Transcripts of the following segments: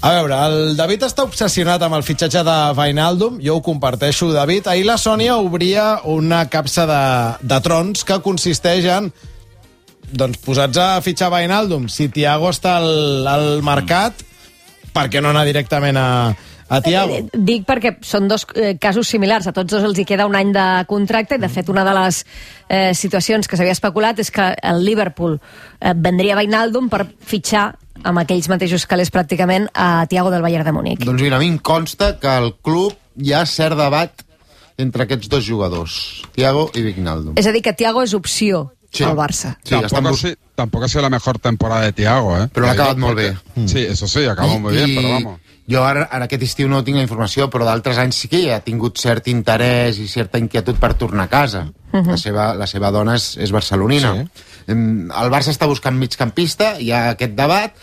A veure, el David està obsessionat amb el fitxatge de Wijnaldum, jo ho comparteixo, David. Ahir la Sònia obria una capsa de trons que consisteix en posats a fitxar Wijnaldum. Si Thiago està al mercat, per què no anar directament a Thiago? Dic perquè són dos casos similars. A tots dos els hi queda un any de contracte i, de fet, una de les situacions que s'havia especulat és que el Liverpool vendria Wijnaldum per fitxar amb aquells mateixos calés pràcticament a Thiago del Bayern de Múnich. Doncs mira, a mi em consta que al club hi ha cert debat entre aquests dos jugadors, Thiago i Wijnaldum. És a dir, que Thiago és opció al Barça. Sí, tampoco ha sido la mejor temporada de Thiago, ¿eh? Però l'ha acabat molt bé. Sí, eso sí, acabó muy bien, pero vamos. Jo ara aquest estiu no tinc la informació, però d'altres anys sí que ha tingut cert interès i certa inquietud per tornar a casa. La seva dona és barcelonina. Sí. El Barça està buscant migcampista, hi ha aquest debat.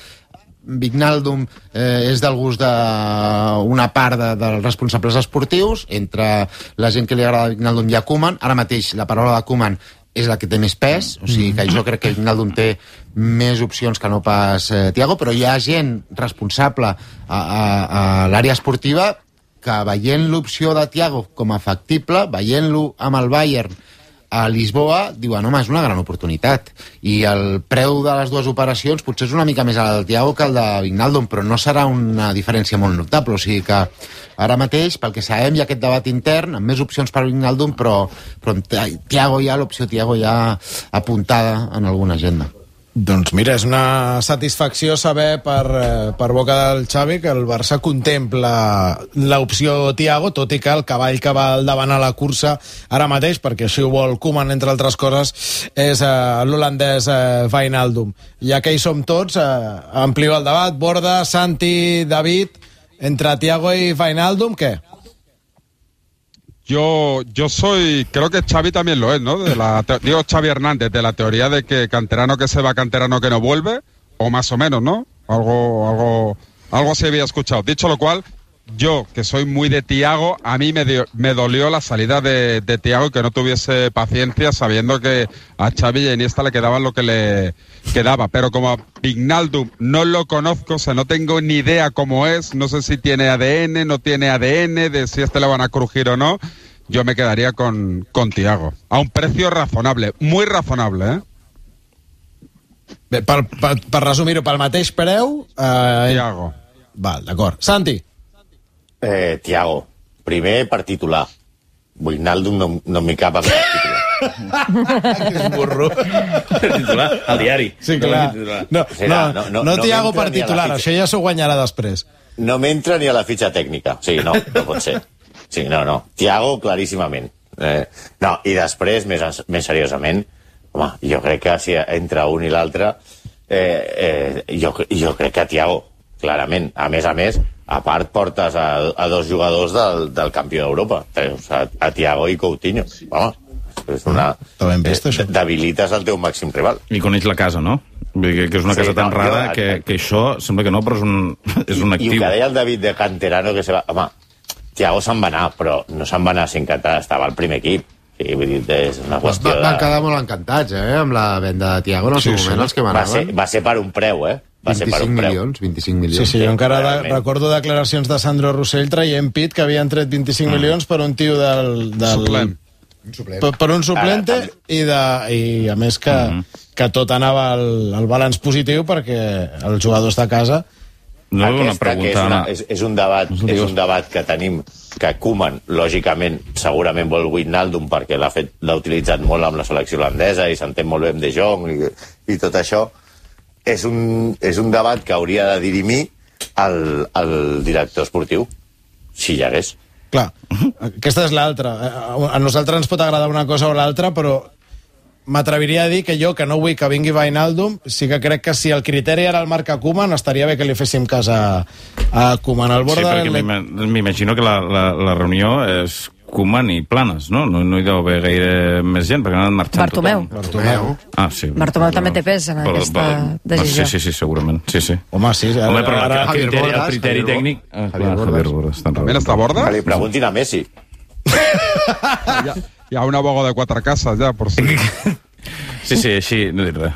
Wijnaldum és del gust d'una part dels responsables esportius. Entre la gent que li agrada Wijnaldum hi ha Koeman. Ara mateix la paraula de Koeman és la que té més pes, o sigui que jo crec que Wijnaldum té més opcions que no pas Thiago, però hi ha gent responsable a l'àrea esportiva que, veient l'opció de Thiago com a factible, veient-lo amb el Bayern a Lisboa, diuen, home, és una gran oportunitat. I el preu de les dues operacions potser és una mica més alt del Thiago que el de Wijnaldum, però no serà una diferència molt notable. O sigui que ara mateix, pel que sabem, hi ha aquest debat intern, amb més opcions per Wijnaldum, però Thiago ja, l'opció Thiago ja apuntada en alguna agenda. Doncs mira, és una satisfacció saber per boca del Xavi que el Barça contempla l'opció Thiago, tot i que el cavall que va al davant a la cursa ara mateix, perquè així ho vol Koeman, entre altres coses, és l'holandès Wijnaldum. Ja que hi som tots, amplio el debat. Borda, Santi, David, entre Thiago y Wijnaldum, ¿qué? Yo creo que Xavi también lo es, ¿no? Digo Xavi Hernández, de la teoría de que canterano que se va, canterano que no vuelve, o más o menos, ¿no? Algo se había escuchado. Dicho lo cual, yo, que soy muy de Thiago, a mí me dolió la salida de Thiago y que no tuviese paciencia sabiendo que a Xavi y a Iniesta le quedaba lo que le quedaba. Pero como a Wijnaldum no lo conozco, o sea, no tengo ni idea cómo es, no sé si tiene ADN, no tiene ADN, de si le van a crujir o no, yo me quedaría con Thiago. A un precio razonable, muy razonable, ¿eh? Bé, per resumir-ho, pel mateix preu... Thiago. Val, d'acord. Santi? Thiago, primer per titular. Wijnaldum no m'hi cap a per titular. Que burro. Per titular, al diari. Sí, clar. No Thiago per titular, això ja s'ho guanyarà després. No m'entra ni a la fitxa tècnica. Sí, no pot ser. Sí, no. Thiago, claríssimament. I després, més seriosament, home, jo crec que si entre un i l'altre, jo crec que Thiago, clarament. A més, a part portes a dos jugadors del campió d'Europa, a Thiago i Coutinho. Home, és una... Debilites el teu màxim rival. I coneix la casa, no? Vull dir que és una casa tan rara que això sembla que no, però és un actiu. I el que deia el David de canterano que se va... Home, Thiago se'n va anar, però no se'n va anar sin cantar, estava al primer equip. Sí, vull dir, és una qüestió de... Van quedar molt encantats, amb la venda de Thiago en el seu moment, els que manaven. Va ser per un preu, 25 milions. Sí, jo encara recordo declaracions de Sandro Rossell traient pit que havien tret 25 milions per un tio del... Suplent. Per un suplente i a més que tot anava al balanç positiu perquè els jugadors de casa... És un debat que tenim, que Koeman, lògicament, segurament vol Wijnaldum perquè l'ha utilitzat molt amb la selecció holandesa i s'entén molt bé amb De Jong i tot això. És un debat que hauria de dirimir el director esportiu, si hi hagués. Clar, aquesta és l'altra. A nosaltres ens pot agradar una cosa o l'altra, però m'atreviria a dir que jo, que no vull que vingui Wijnaldum, sí que crec que si el criteri era el marca Koeman, estaria bé que li féssim cas a Koeman. Sí, perquè m'imagino que la reunió és Koeman i Planes, no? No hi deu haver gaire més gent, perquè han anat marxant Bartomeu. Ah, sí. Bartomeu també té pes en aquesta decisió. Sí, segurament. Sí. Home, sí. Però el criteri tècnic... Javier Borda. ¿También está Borda? Que li preguntin a Messi. Hi ha un abogo de quatre cases, ja, per si... Sí, així no dic res.